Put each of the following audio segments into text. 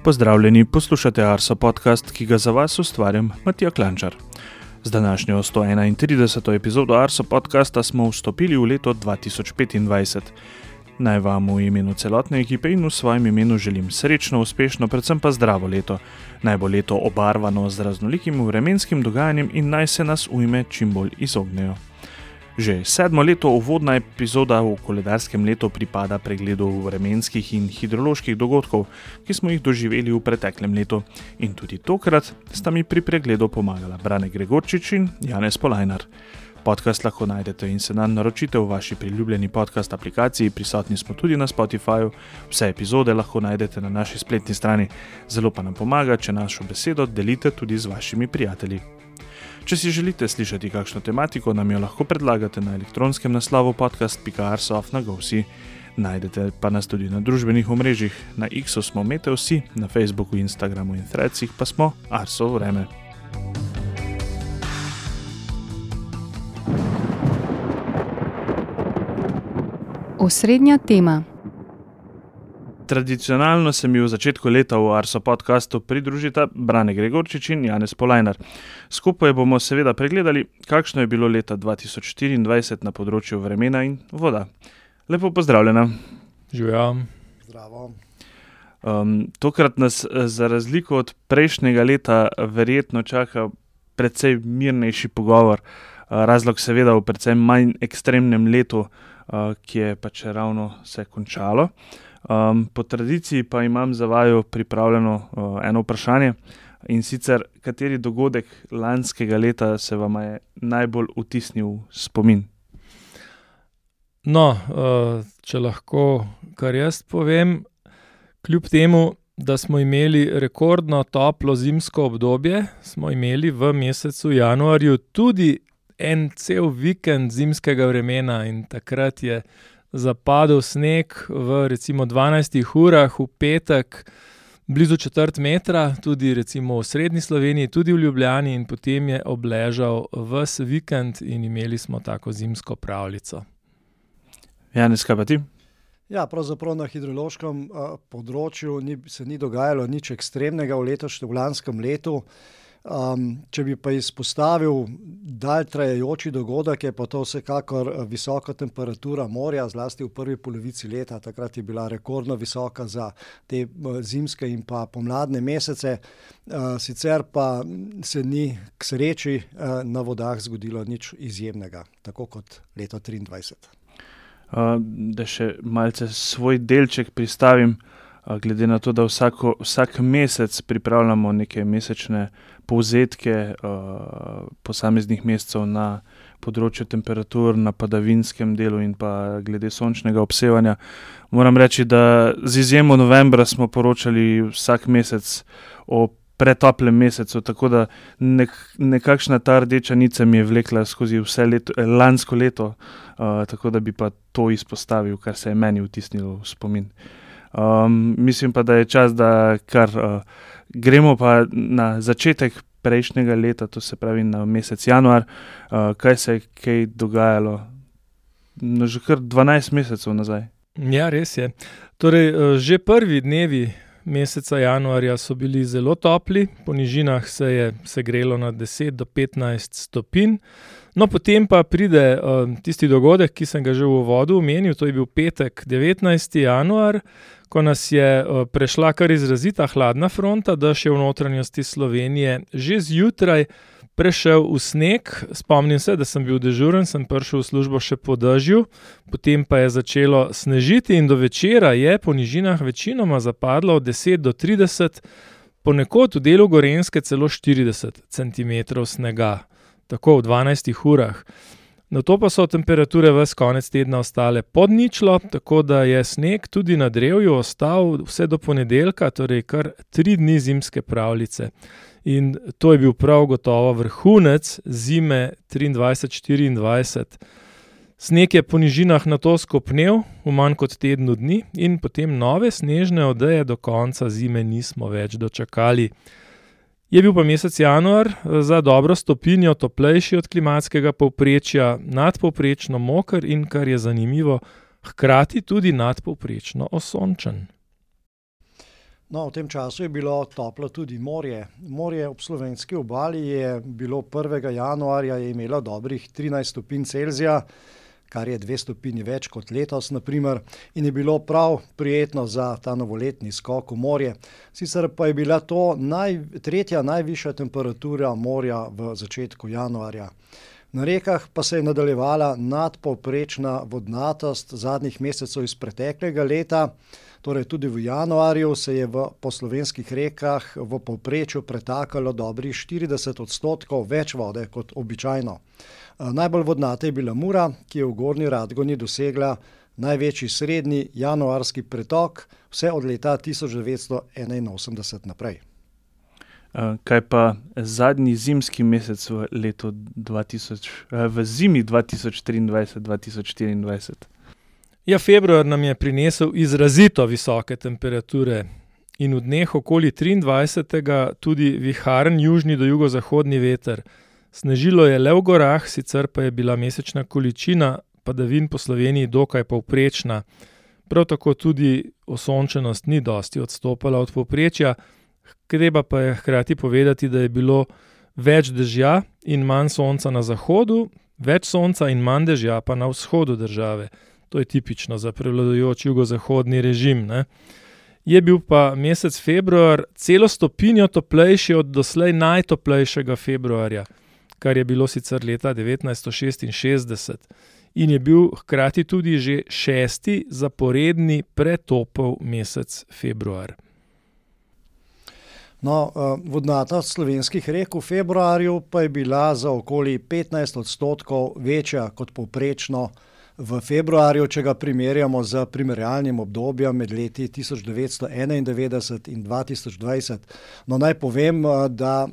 Pozdravljeni, poslušate Arso podcast, ki ga za vas ustvarjam Matija Klančar. Z današnjo 131. epizodo Arso podcasta smo vstopili v leto 2025. Naj vam v imenu celotne ekipe in v svojem imenu želim srečno, uspešno, predvsem pa zdravo leto. Naj bo leto obarvano z raznolikim vremenskim dogajanjem in naj se nas ujme čim bolj izognejo. Že 7. leto uvodna epizoda v koledarskem letu pripada pregledu vremenskih in hidroloških dogodkov, ki smo jih doživeli v preteklem letu. In tudi tokrat sta mi pri pregledu pomagala Brane Gregorčič in Janez Polajnar. Podcast lahko najdete in se nam naročite v vaši priljubljeni podcast aplikaciji, prisotni smo tudi na Spotifyju, vse epizode lahko najdete na naši spletni strani. Zelo pa nam pomaga, če našo besedo delite tudi z vašimi prijatelji. Če si želite slišati kakšno tematiko, nam jo lahko predlagate na elektronskem naslovu podcast.arso@go.si. Najdete pa nas tudi na družbenih omrežjih. Na X-u smo Meteosi, na Facebooku, Instagramu in Threadsih pa smo Arso vreme. Osrednja tema. Tradicionalno se mi v začetku leta v Arso podcastu pridružita Brane Gregorčič in Janez Polajnar. Skupaj bomo seveda pregledali, kakšno je bilo leta 2024 na področju vremena in voda. Lepo pozdravljena. Živjo. Zdravo. Tokrat nas za razliko od prejšnjega leta verjetno čaka precej mirnejši pogovor. Razlog seveda v precej manj ekstremnem letu, ki je pač ravno se končalo. Po tradiciji pa imam za vaju pripravljeno eno vprašanje, in sicer, kateri dogodek lanskega leta se vam je najbolj vtisnil v spomin? No, če lahko kar jaz povem, kljub temu, da smo imeli rekordno toplo zimsko obdobje, smo imeli v mesecu januarju tudi en cel vikend zimskega vremena in takrat je zapadel sneg v recimo 12 urah v petek blizu 4 metra, tudi recimo v srednji Sloveniji, tudi v Ljubljani, in potem je obležal ves vikend in imeli smo tako zimsko pravljico. Janez, kaj pa ti? Ja, pravzaprav na hidrološkem področju se ni dogajalo nič ekstremnega v lanskem letu. Če bi pa izpostavil dalj trajajoči dogodek, je pa to vsekakor visoka temperatura morja, zlasti v prvi polovici leta. Takrat je bila rekordno visoka za te zimske in pa pomladne mesece. Sicer pa se ni k sreči na vodah zgodilo nič izjemnega, tako kot leto 2023. Da še malce svoj delček pristavim, glede na to, da vsak mesec pripravljamo neke mesečne povzetke posameznih mesecev na področju temperatur, na padavinskem delu in pa glede sončnega obsevanja. Moram reči, da z izjemo novembra smo poročali vsak mesec o pretoplem mesecu, tako da nekakšna ta rdeča nica mi je vlekla skozi vse lansko leto, tako da bi pa to izpostavil, kar se je meni vtisnilo v spomin. Mislim pa, da je čas, da kar gremo pa na začetek prejšnjega leta, to se pravi na mesec januar, kaj se je kaj dogajalo, no, že kar 12 mesecev nazaj. Ja, res je. Torej, že prvi dnevi meseca januarja so bili zelo topli, po nižinah se je segrelo na 10 do 15 stopinj. No, potem pa pride tisti dogodek, ki sem ga že v uvodu omenil, to je bil petek 19. januar, ko nas je prešla kar izrazita hladna fronta, dež je v notranjosti Slovenije že zjutraj prešel v sneg. Spomnim se, da sem bil dežuren, sem prišel v službo še po dežju, potem pa je začelo snežiti in do večera je po nižinah večinoma zapadlo od 10 do 30, ponekod v delu Gorenjske celo 40 centimetrov snega, tako v 12 urah. Nato pa so temperature ves konec tedna ostale pod ničlo, tako da je sneg tudi na drevju ostal vse do ponedeljka, torej kar 3 dni zimske pravljice. In to je bil prav gotovo vrhunec zime 23-24. Sneg je po nižinah nato skopnel v manj kot tednu dni in potem nove snežne odeje do konca zime nismo več dočakali. Je bil pa mesec januar za dobro stopinjo toplejši od klimatskega povprečja, nadpovprečno moker in, kar je zanimivo, hkrati tudi nadpovprečno osončen. No, v tem času je bilo toplo tudi morje. Morje ob slovenski obali je bilo 1. januarja je imelo dobrih 13 stopinj Celzija, kar je 2 stopinji več kot letos, naprimer, in je bilo prav prijetno za ta novoletni skok v morje. Sicer pa je bila to tretja najvišja temperatura morja v začetku januarja. Na rekah pa se je nadaljevala nadpovprečna vodnatost zadnjih mesecev iz preteklega leta, torej tudi v januarju se je po slovenskih rekah v povprečju pretakalo dobrih 40% več vode kot običajno. Najbolj vodnata je bila Mura, ki je v Gornji Radgoni dosegla največji srednji januarski pretok vse od leta 1981 naprej. Kaj pa zadnji zimski mesec v zimi 2023-2024? Ja, februar nam je prinesel izrazito visoke temperature in v dneh okoli 23. tudi viharen južni do jugozahodni veter. Snežilo je le v gorah, sicer pa je bila mesečna količina padavin po Sloveniji dokaj povprečna. Prav tako tudi osončenost ni dosti odstopala od povprečja, treba pa je hkrati povedati, da je bilo več dežja in manj sonca na zahodu, več sonca in manj dežja pa na vzhodu države. To je tipično za prevladujoč jugozahodni režim, ne? Je bil pa mesec februar celo stopinjo toplejši od doslej najtoplejšega februarja, kar je bilo sicer leta 1966 in je bil hkrati tudi že 6. zaporedni pretopel mesec februar. No, vodnatost slovenskih rek v februarju pa je bila za okoli 15% večja kot povprečno v februarju, če ga primerjamo z primerjalnim obdobjem med leti 1991 in 2020. No, naj povem, da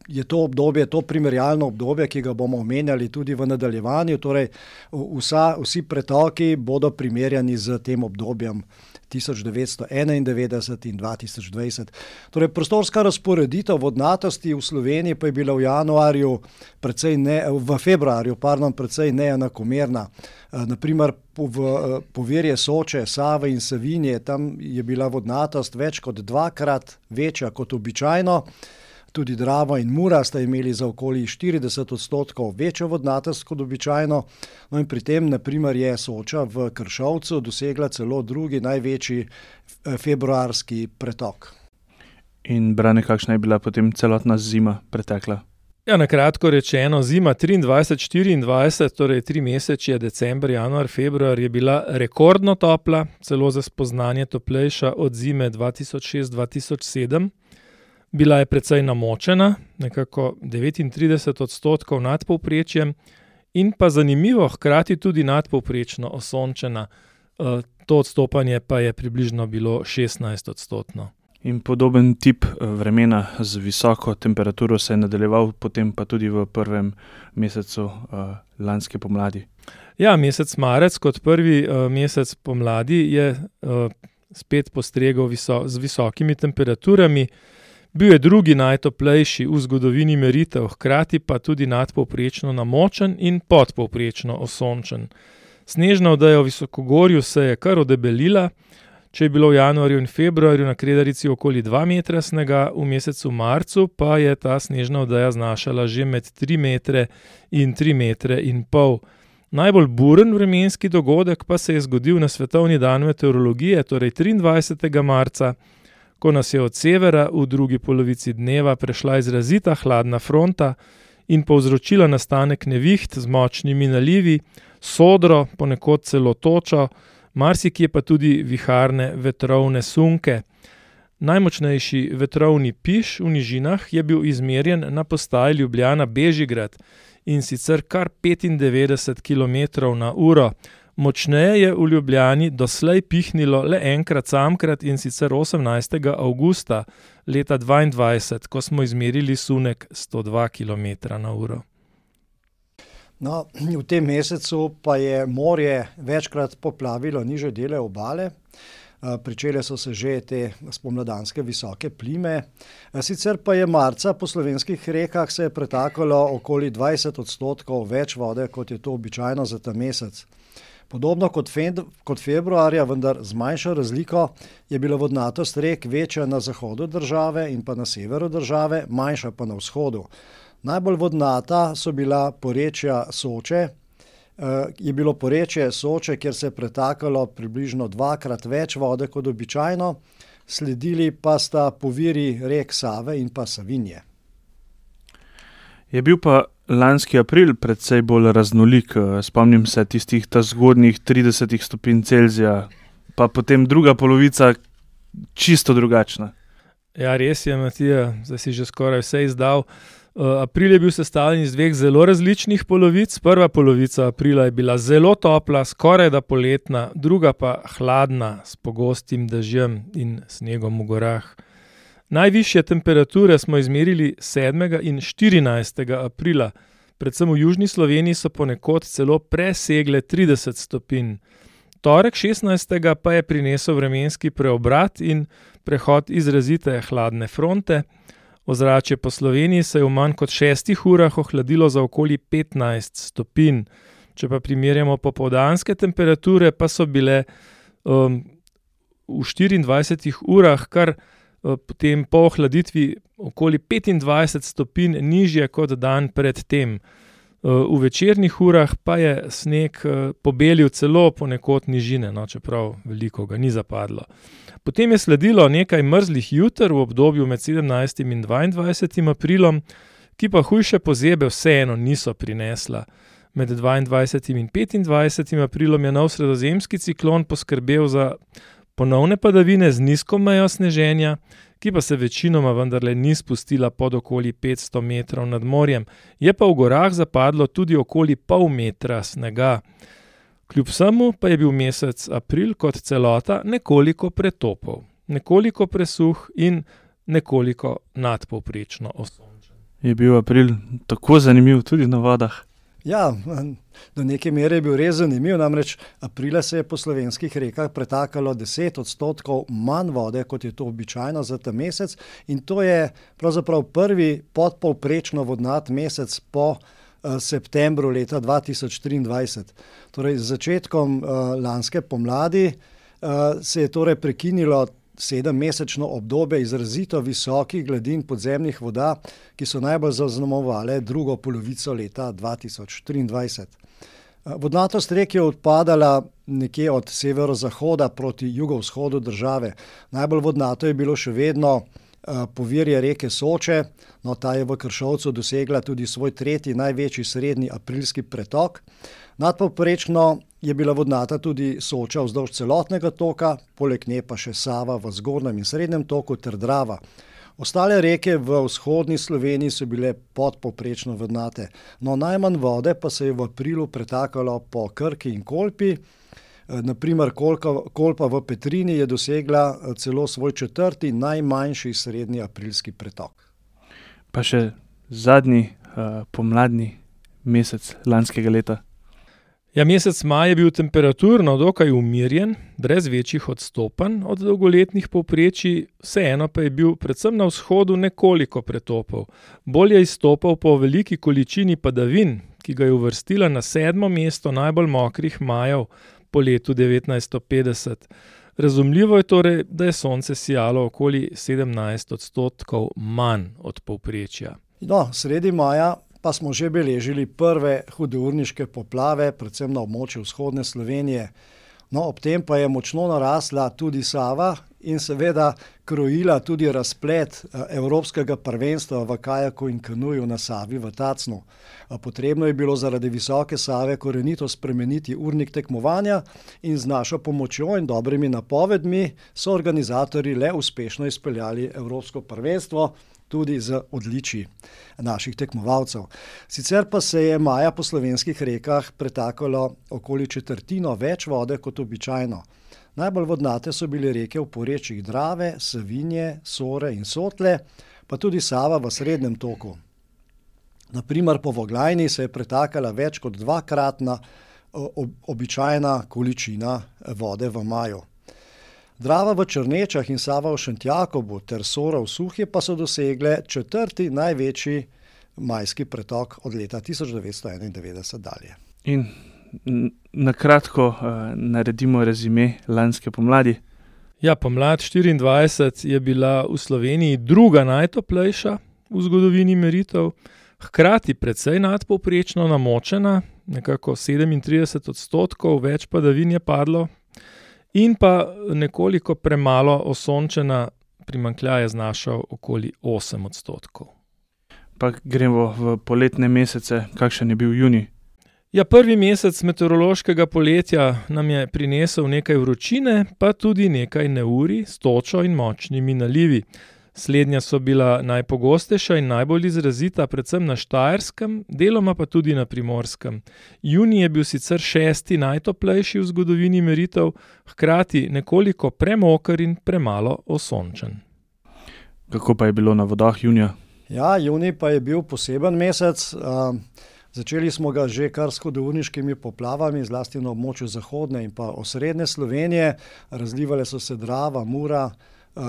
je to obdobje, to primerjalno obdobje, ki ga bomo omenjali tudi v nadaljevanju, torej vsi pretoki bodo primerjani z tem obdobjem 1991 in 2020. Torej, prostorska razporeditev vodnatosti v Sloveniji pa je bila v februarju precej neenakomerna. Naprimer, povirje Soče, Save in Savinje, tam je bila vodnatost več kot 2-krat večja kot običajno. Tudi Drava in Mura sta imeli za okoli 40% večjo vodnatost kot običajno. No in pri tem, naprimer, je Soča v Kršovcu dosegla celo drugi največji februarski pretok. In Brane, kakšna je bila potem celotna zima pretekla? Ja, na kratko rečeno, zima 23-24, torej 3 mesece, december, januar, februar, je bila rekordno topla, celo za spoznanje toplejša od zime 2006-2007. Bila je precej namočena, nekako 39% nad povprečjem in pa zanimivo, hkrati tudi nadpovprečno osončena. To odstopanje pa je približno bilo 16%. In podoben tip vremena z visoko temperaturo se je nadaljeval potem pa tudi v prvem mesecu lanske pomladi. Ja, mesec marec kot prvi mesec pomladi je spet postregel z visokimi temperaturami. Bil je drugi najtoplejši v zgodovini meritev, hkrati pa tudi nadpovprečno namočen in podpovprečno osončen. Snežna odeja v visokogorju se je kar odebelila. Če je bilo v januarju in februarju na Kredarici okoli 2 metra snega, v mesecu marcu pa je ta snežna odeja znašala že med 3 metre in 3 metre in pol. Najbolj buren vremenski dogodek pa se je zgodil na Svetovni dan meteorologije, torej 23. marca, ko nas je od severa v drugi polovici dneva prešla izrazita hladna fronta in povzročila nastanek neviht z močnimi nalivi, sodro, ponekod celo točo, marsikje pa tudi viharne vetrovne sunke. Najmočnejši vetrovni piš v nižinah je bil izmerjen na postaji Ljubljana-Bežigrad in sicer kar 95 km/h. Močneje je v Ljubljani doslej pihnilo le enkrat samkrat in sicer 18. avgusta leta 2022, ko smo izmerili sunek 102 km/h. No, v tem mesecu pa je morje večkrat poplavilo nižje dele obale. Pričele so se že te spomladanske visoke plime. Sicer pa je marca po slovenskih rekah se je pretakalo okoli 20% več vode, kot je to običajno za ta mesec. Podobno kot februarja, vendar z manjšo razliko, je bila vodnatost rek večja na zahodu države in pa na severu države, manjša pa na vzhodu. Najbolj vodnata so bila porečja Soče, je bilo porečje Soče, kjer se je pretakalo približno 2-krat več vode kot običajno, sledili pa sta poviri rek Save in pa Savinje. Je bil pa lanski april precej bolj raznolik, spomnim se tistih zgodnjih 30 stopinj Celzija, pa potem druga polovica čisto drugačna. Ja, res je, Matija, zdaj si že skoraj vse izdal. April je bil sestavljen iz 2 zelo različnih polovic. Prva polovica aprila je bila zelo topla, skorajda poletna, druga pa hladna, s pogostim dežjem in snegom v gorah. Najvišje temperature smo izmerili 7. in 14. aprila. Predvsem v južni Sloveniji so ponekod celo presegle 30 stopinj. Torek 16. pa je prinesel vremenski preobrat in prehod izrazite hladne fronte. Ozračje po Sloveniji se je v manj kot 6 urah ohladilo za okoli 15 stopinj. Če pa primerjamo popoldanske temperature, pa so bile v 24 urah kar potem po ohladitvi okoli 25 stopinj nižje kot dan pred tem. V večernih urah pa je sneg pobelil celo ponekod nižine, čeprav veliko ga ni zapadlo. Potem je sledilo nekaj mrzlih juter v obdobju med 17. in 22. aprilom, ki pa hujše pozebe vseeno niso prinesla. Med 22. in 25. aprilom je nov sredozemski ciklon poskrbel za ponovne padavine z nizko mejo sneženja, ki pa se večinoma vendarle ni spustila pod okoli 500 metrov nad morjem. Je pa v gorah zapadlo tudi okoli pol metra snega. Kljub vsemu pa je bil mesec april kot celota nekoliko pretopov, nekoliko presuh in nekoliko nadpovprečno osončen. Je bil april tako zanimiv tudi na vodah? Ja, do neke mere je bil res zanimiv, namreč aprila se je po slovenskih rekah pretakalo 10% manj vode, kot je to običajno za ta mesec, in to je pravzaprav prvi podpovprečno vodnat mesec po septembru leta 2023. Torej z začetkom lanske pomladi se je torej prekinilo 7-mesečno obdobje izrazito visokih gladin podzemnih voda, ki so najbolj zaznamovale drugo polovico leta 2023. Vodnatost rek je odpadala nekje od severozahoda proti jugovzhodu države. Najbolj vodnato je bilo še vedno povirje reke Soče, ta je v Kršovcu dosegla tudi svoj 3. največji srednji aprilski pretok. Nadpovprečno je bila vodnata tudi Soča vzdolž celotnega toka, poleg nje pa še Sava v zgornjem in srednjem toku ter Drava. Ostale reke v vzhodni Sloveniji so bile podpovprečno vodnate. Najmanj vode pa se je v aprilu pretakalo po Krki in Kolpi. Naprimer, Kolpa v Petrini je dosegla celo svoj 4. najmanjši srednji aprilski pretok. Pa še zadnji pomladni mesec lanskega leta. Ja, mesec maj je bil temperaturno dokaj umirjen, brez večjih odstopanj od dolgoletnih povprečij, vseeno pa je bil predvsem na vzhodu nekoliko pretopov. Bolj je izstopal po veliki količini padavin, ki ga je uvrstila na 7. mesto najbolj mokrih majev po letu 1950. Razumljivo je torej, da je sonce sijalo okoli 17% manj od povprečja. Sredi maja pa smo že beležili prve hudourniške poplave, predvsem na območju vzhodne Slovenije. Ob tem pa je močno narasla tudi Sava in seveda krojila tudi razplet evropskega prvenstva v kajaku in kanuju na Savi v Tacnu. Potrebno je bilo zaradi visoke Save korenito spremeniti urnik tekmovanja in z našo pomočjo in dobrimi napovedmi so organizatorji le uspešno izpeljali evropsko prvenstvo, tudi z odličji naših tekmovalcev. Sicer pa se je maja po slovenskih rekah pretakalo okoli 1/4 več vode kot običajno. Najbolj vodnate so bile reke v porečjih Drave, Savinje, Sore in Sotle, pa tudi Sava v srednjem toku. Naprimer, po Voglajni se je pretakala več kot 2-kratna običajna količina vode v maju. Drava v Črnečah in Sava v Šentjakobu ter Sora v Suhje pa so dosegle 4. največji majski pretok od leta 1991 dalje. In Na kratko naredimo rezime lanske pomladi. Ja, pomlad 24 je bila v Sloveniji druga najtoplejša v zgodovini meritev, hkrati precej nadpovprečno namočena, nekako 37%, več padavin je padlo, in pa nekoliko premalo osončena, primanjkljaj je znašal okoli 8%. Pa gremo v poletne mesece, kakšen je bil junij? Ja, prvi mesec meteorološkega poletja nam je prinesel nekaj vročine, pa tudi nekaj neurij s točo in močnimi nalivi. Slednja so bila najpogostejša in najbolj izrazita predvsem na Štajerskem, deloma pa tudi na Primorskem. Junij je bil sicer 6. najtoplejši v zgodovini meritev, hkrati nekoliko premoker in premalo osončen. Kako pa je bilo na vodah junija? Ja, junij pa je bil poseben mesec. Začeli smo ga že kar s hudourniškimi poplavami, zlasti na območju zahodne in pa osrednje Slovenije. Razlivale so se Drava, Mura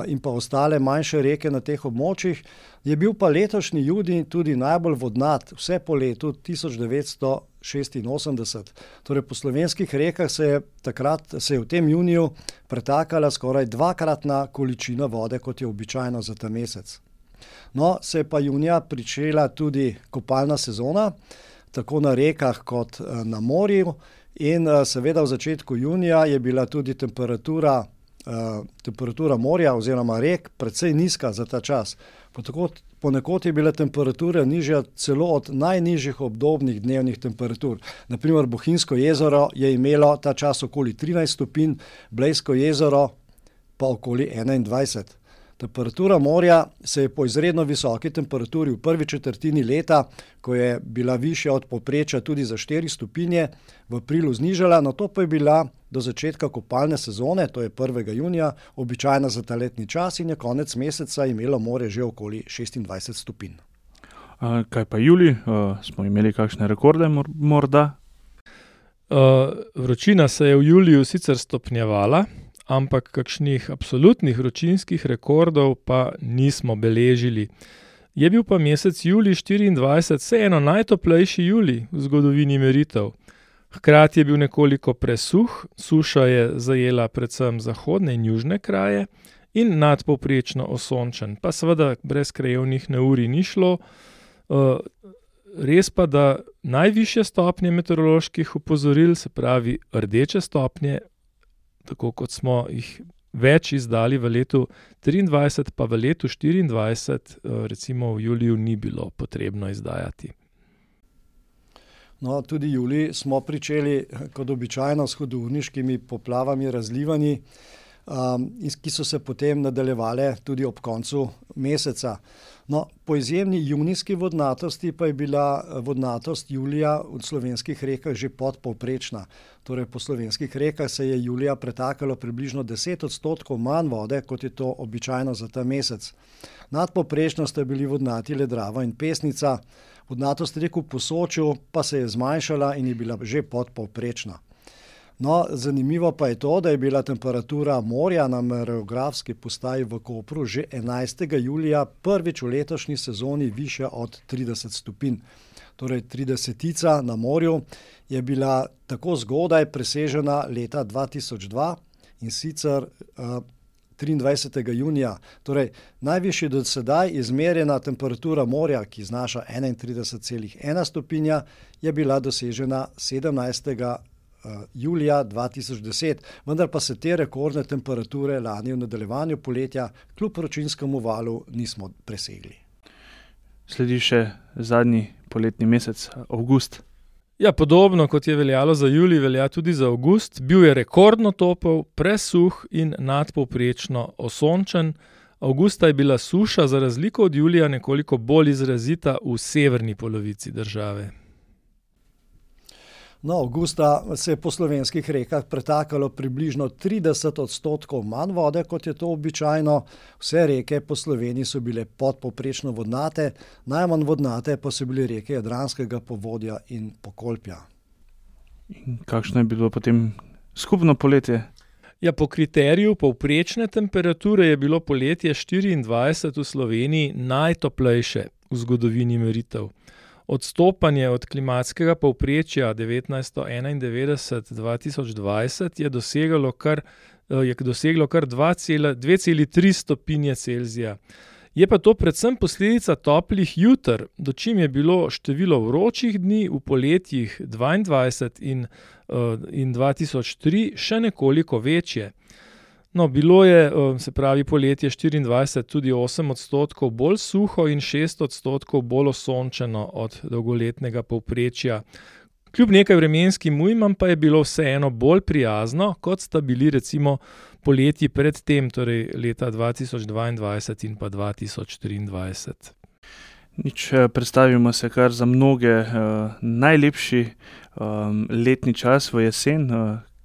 in pa ostale manjše reke na teh območjih. Je bil pa letošnji junij tudi najbolj vodnat, vse po letu 1986. Torej po slovenskih rekah se je v tem juniju pretakala skoraj dvakratna količina vode, kot je običajno za ta mesec. No, se je pa junija pričela tudi kopalna sezona, tako na rekah kot na morju, in seveda v začetku junija je bila tudi temperatura morja oziroma rek precej nizka za ta čas. Ponekod je bila temperatura nižja celo od najnižjih obdobnih dnevnih temperatur. Na primer Bohinjsko jezero je imelo ta čas okoli 13 stopinj, Blejsko jezero pa okoli 21. Temperatura morja se je po izredno visoki temperaturi v prvi četrtini leta, ko je bila višja od povprečja tudi za 4 stopinje, v aprilu znižala, nato pa je bila do začetka kopalne sezone, to je 1. junija, običajna za ta letni čas, in je konec meseca imelo morje že okoli 26 stopinj. Kaj pa julij? Smo imeli kakšne rekorde morda? Vročina se je v juliju sicer stopnjevala, ampak kakšnih absolutnih vročinskih rekordov pa nismo beležili. Je bil pa mesec julij 24 vseeno najtoplejši julij v zgodovini meritev. Hkrati je bil nekoliko presuh, suša je zajela predvsem zahodne in južne kraje in nadpovprečno osončen, pa seveda brez krajevnih neurij ni šlo. Res pa, da najvišje stopnje meteoroloških opozoril, se pravi rdeče stopnje, tako kot smo jih več izdali v letu 23, pa v letu 24, recimo v juliju, ni bilo potrebno izdajati. No, tudi julij smo pričeli kot običajno s hudourniškimi poplavami, razlivanji, ki so se potem nadaljevale tudi ob koncu meseca. No, po izjemni junijski vodnatosti pa je bila vodnatost julija v slovenskih rekah že podpovprečna. Torej po slovenskih rekah se je julija pretakalo približno 10% manj vode, kot je to običajno za ta mesec. Nadpovprečno sta bili vodnati le Drava in Pesnica, vodnatost rek v Posočju pa se je zmanjšala in je bila že podpovprečna. No, zanimivo pa je to, da je bila temperatura morja na meteorografski postaji v Kopru že 11. julija prvič v letošnji sezoni višja od 30 stopinj. Torej 30 na morju je bila tako zgodaj presežena leta 2002 in sicer 23. junija. Torej najvišji do sedaj izmerjena temperatura morja, ki znaša 31,1 stopinja, je bila dosežena 17. julija 2010, vendar pa se te rekordne temperature lani v nadaljevanju poletja kljub vročinskemu valu nismo presegli. Sledi še zadnji poletni mesec, avgust. Ja, podobno kot je veljalo za julij, velja tudi za avgust. Bil je rekordno topel, presuh in nadpovprečno osončen. Avgusta je bila suša za razliko od julija nekoliko bolj izrazita v severni polovici države. No, avgusta se je po slovenskih rekah pretakalo približno 30% manj vode, kot je to običajno. Vse reke po Sloveniji so bile podpovprečno vodnate, najmanj vodnate pa so bile reke Jadranskega povodja in Pokolpja. In kakšno je bilo potem skupno poletje? Ja, po kriteriju povprečne temperature je bilo poletje 24 v Sloveniji najtoplejše v zgodovini meritev. Odstopanje od klimatskega povprečja 1991-2020 je doseglo kar 2,3 stopinje Celzija. Je pa to predvsem posledica toplih juter, dočim je bilo število vročih dni v poletjih 22 in 2003 še nekoliko večje. No, bilo je, se pravi, poletje 24 tudi 8% bolj suho in 6% bolj osončeno od dolgoletnega povprečja. Kljub nekaj vremenskim ujmam pa je bilo vseeno bolj prijazno, kot sta bili recimo poletji pred tem, torej leta 2022 in pa 2023. Predstavimo se kar za mnoge najlepši letni čas v jesen.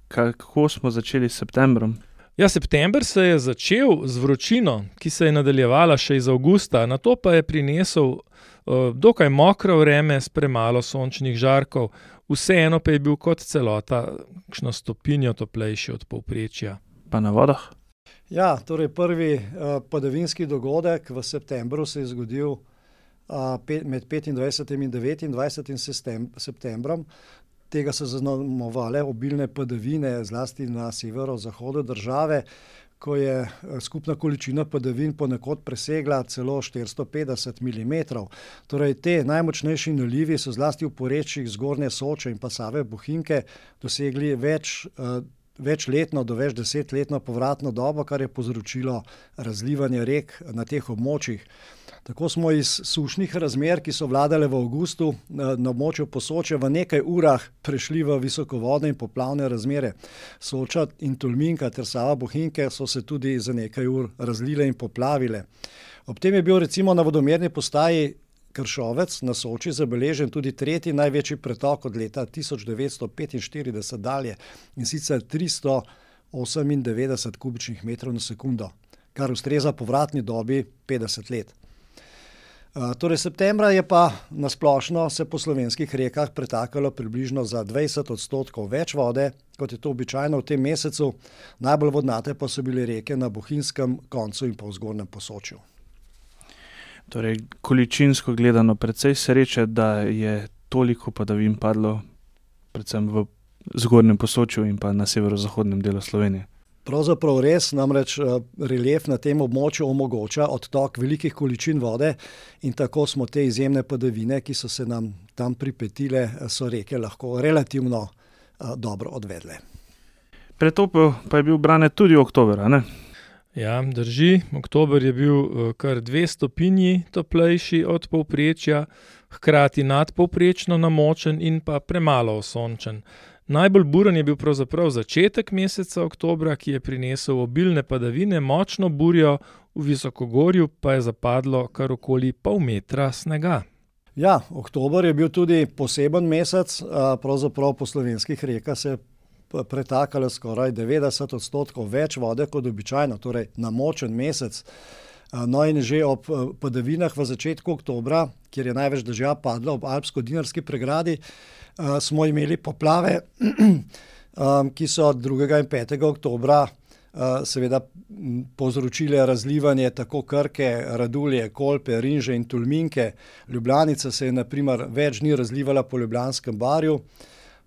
Kako smo začeli s septembrom? Ja, september se je začel z vročino, ki se je nadaljevala še iz avgusta, nato pa je prinesel dokaj mokro vreme s premalo sončnih žarkov, vseeno pa je bil kot celota kakšno stopinjo toplejši od povprečja. Pa na vodah? Ja, torej prvi padavinski dogodek v septembru se je zgodil med 25. in 29. septembrom. Tega so zaznamovale obilne padavine, zlasti na severozahodu države, ko je skupna količina padavin ponekod presegla celo 450 mm. Torej, te najmočnejši nalivi so zlasti v porečjih Zgornje Soče in pa Save Bohinjke dosegli večletno do več desetletno povratno dobo, kar je povzročilo razlivanje rek na teh območjih. Tako smo iz sušnih razmer, ki so vladale v avgustu na območju Posočja, v nekaj urah prešli v visokovodne in poplavne razmere. Soča in Tolminka ter Sava Bohinjke so se tudi za nekaj ur razlile in poplavile. Ob tem je bil recimo na vodomerni postaji Kršovec na Soči zabeležen tudi tretji največji pretok od leta 1945 dalje, in sicer 398 kubičnih metrov na sekundo, kar ustreza povratni dobi 50 let. Torej septembra je pa nasplošno se po slovenskih rekah pretakalo približno za 20% več vode, kot je to običajno v tem mesecu, najbolj vodnate pa so bile reke na Bohinjskem koncu in pa v Zgornjem Posočju. Torej, količinsko gledano precej sreče, da je toliko padavin padlo predvsem v Zgornjem Posočju in pa na severozahodnem delu Slovenije. Pravzaprav res, namreč relief na tem območju omogoča odtok velikih količin vode in tako smo te izjemne padavine, ki so se nam tam pripetile, so reke lahko relativno dobro odvedle. Pretopel pa je bil Brane tudi oktober, a ne? Ja, drži. Oktober je bil kar 2 stopinji toplejši od povprečja, hkrati nadpovprečno namočen in pa premalo osončen. Najbolj buren je bil pravzaprav začetek meseca oktobra, ki je prinesel obilne padavine, močno burjo, v Visokogorju pa je zapadlo kar okoli pol metra snega. Ja, oktober je bil tudi poseben mesec, pravzaprav po slovenskih rekah se je pretakalo skoraj 90% več vode kot običajno, torej namočen mesec. No in že ob padavinah v začetku oktobra, kjer je največ dežja padlo ob Alpsko-Dinarski pregradi, smo imeli poplave, ki so 2. in 5. oktobra seveda povzročile razlivanje tako Krke, Radulje, Kolpe, Rinže in Tolminke. Ljubljanica se je na primer več dni razlivala po Ljubljanskem barju,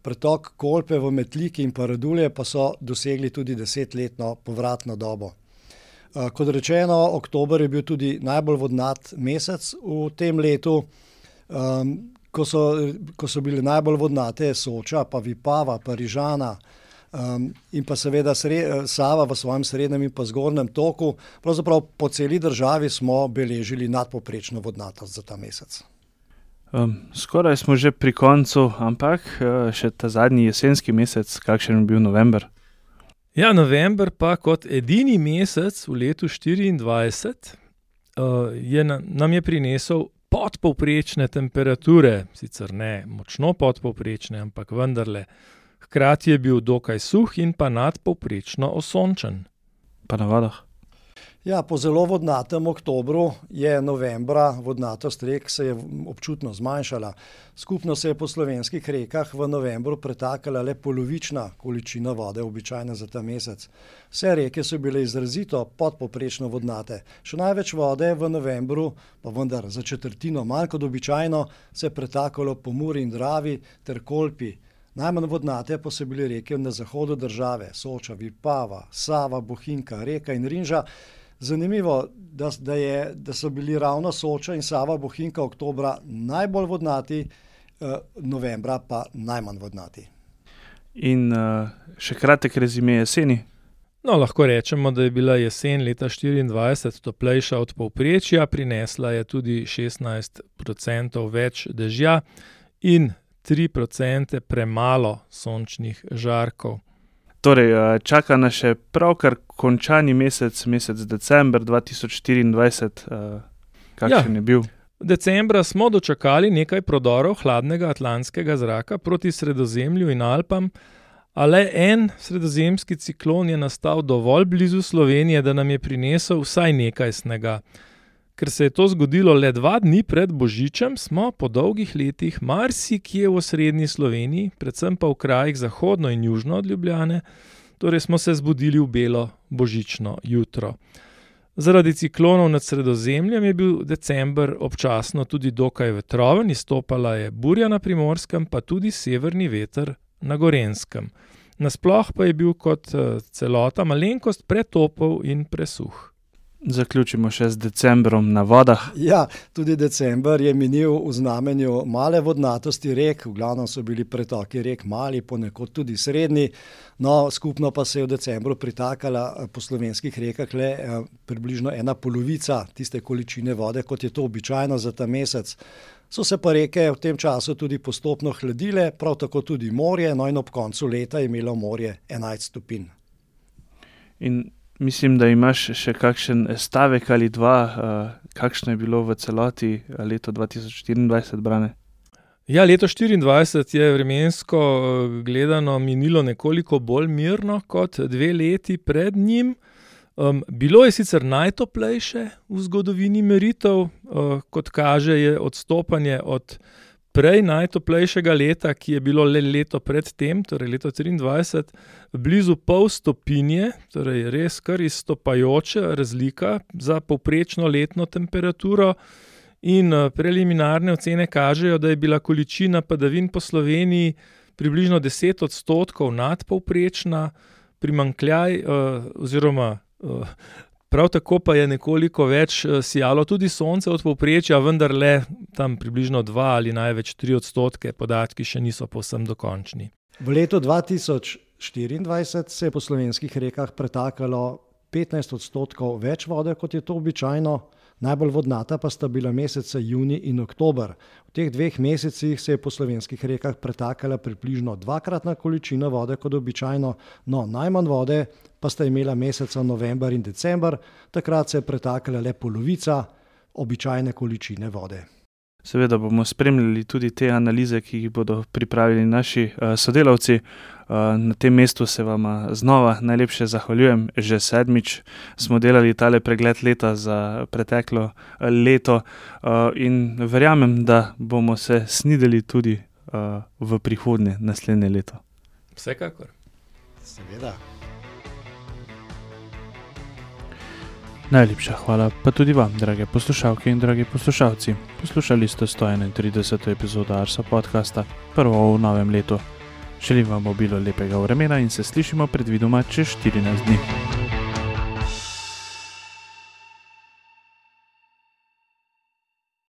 pretok Kolpe v Metliki in pa Radulje pa so dosegli tudi 10-letno povratno dobo. Kot rečeno, oktober je bil tudi najbolj vodnat mesec v tem letu, ko so bile najbolj vodnate Soča, pa Vipava, pa Rižana in pa seveda Sava v svojem srednjem in pa zgornjem toku. Pravzaprav po celi državi smo beležili nadpovprečno vodnatost za ta mesec. Skoraj smo že pri koncu, ampak še ta zadnji jesenski mesec, kakšen je bil november? Ja, november pa kot edini mesec v letu 2024 nam je prinesel podpovprečne temperature, sicer ne močno podpovprečne, ampak vendarle. Hkrati je bil dokaj suh in pa nadpovprečno osončen. Pa na vodah? Ja, po zelo vodnatem oktobru je novembra vodnatost rek se je občutno zmanjšala. Skupno se je po slovenskih rekah v novembru pretakala le polovična količina vode, običajna za ta mesec. Vse reke so bile izrazito podpovprečno vodnate. Še največ vode v novembru, pa vendar za četrtino manj kot običajno, se je pretakalo po Muri in Dravi ter Kolpi. Najmanj vodnate pa so bile reke na zahodu države, Soča, Vipava, Sava, Bohinjka, Reka in Rinža. Zanimivo, da so bili ravno Soča in Sava, Bohinjka oktobra najbolj vodnati, novembra pa najmanj vodnati. In še kratek rezime jeseni. No, lahko rečemo, da je bila jesen leta 2024 toplejša od povprečja, prinesla je tudi 16% več dežja in 3% premalo sončnih žarkov. Torej, čaka nas še pravkar končani mesec december 2024. Kakšen je bil? Decembra smo dočakali nekaj prodorov hladnega atlantskega zraka proti Sredozemlju in Alpam, a le en sredozemski ciklon je nastal dovolj blizu Slovenije, da nam je prinesel vsaj nekaj snega. Ker se je to zgodilo le 2 dni pred Božičem, smo po dolgih letih marsikje v osrednji Sloveniji, predvsem pa v krajih zahodno in južno od Ljubljane, torej smo se zbudili v belo božično jutro. Zaradi ciklonov nad Sredozemljem je bil december občasno tudi dokaj vetroven, izstopala je burja na Primorskem, pa tudi severni veter na Gorenjskem. Nasploh pa je bil kot celota malenkost pretopel in presuh. Zaključimo še z decembrom na vodah. Ja, tudi december je minil v znamenju male vodnatosti rek, v glavnem so bili pretoki rek mali, ponekod tudi srednji, no skupno pa se je v decembru pritakala po slovenskih rekah le približno 1/2 tiste količine vode, kot je to običajno za ta mesec. So se pa reke v tem času tudi postopno hladile, prav tako tudi morje, no in ob koncu leta je imelo morje 11 stopinj. In mislim, da imaš še kakšen stavek ali dva, kakšno je bilo v celoti leto 2024, Brane? Ja, leto 2024 je vremensko gledano minilo nekoliko bolj mirno kot 2 leti pred njim. Bilo je sicer najtoplejše v zgodovini meritev, kot kaže je odstopanje od prej najtoplejšega leta, ki je bilo le leto pred tem, torej leto 2023, blizu 0,5 stopinje, torej res kar izstopajoča razlika za povprečno letno temperaturo in preliminarne ocene kažejo, da je bila količina padavin po Sloveniji približno 10% nadpovprečna, primanjkljaj oziroma prav tako pa je nekoliko več sijalo tudi sonce od povprečja, vendar le tam približno 2 ali največ 3%, podatki še niso povsem dokončni. V letu 2024 se je po slovenskih rekah pretakalo 15% več vode, kot je to običajno. Najbolj vodnata pa sta bila meseca junij in oktober. V teh 2 mesecih se je po slovenskih rekah pretakala približno 2-kratna količina vode kot običajno, no najmanj vode pa sta imela meseca november in december, takrat se je pretakala le polovica običajne količine vode. Seveda bomo spremljali tudi te analize, ki jih bodo pripravili naši sodelavci. Na tem mestu se vam znova najlepše zahvaljujem. Že 7. smo delali tale pregled leta za preteklo leto in verjamem, da bomo se snideli tudi v prihodnje, naslednje leto. Vsekakor. Seveda. Najlepša hvala pa tudi vam, drage poslušalke in dragi poslušalci. Poslušali ste 131. epizodo Arso podcasta, prvo v novem letu. Želim vam obilo lepega vremena in se slišimo predvidoma čez 14 dni.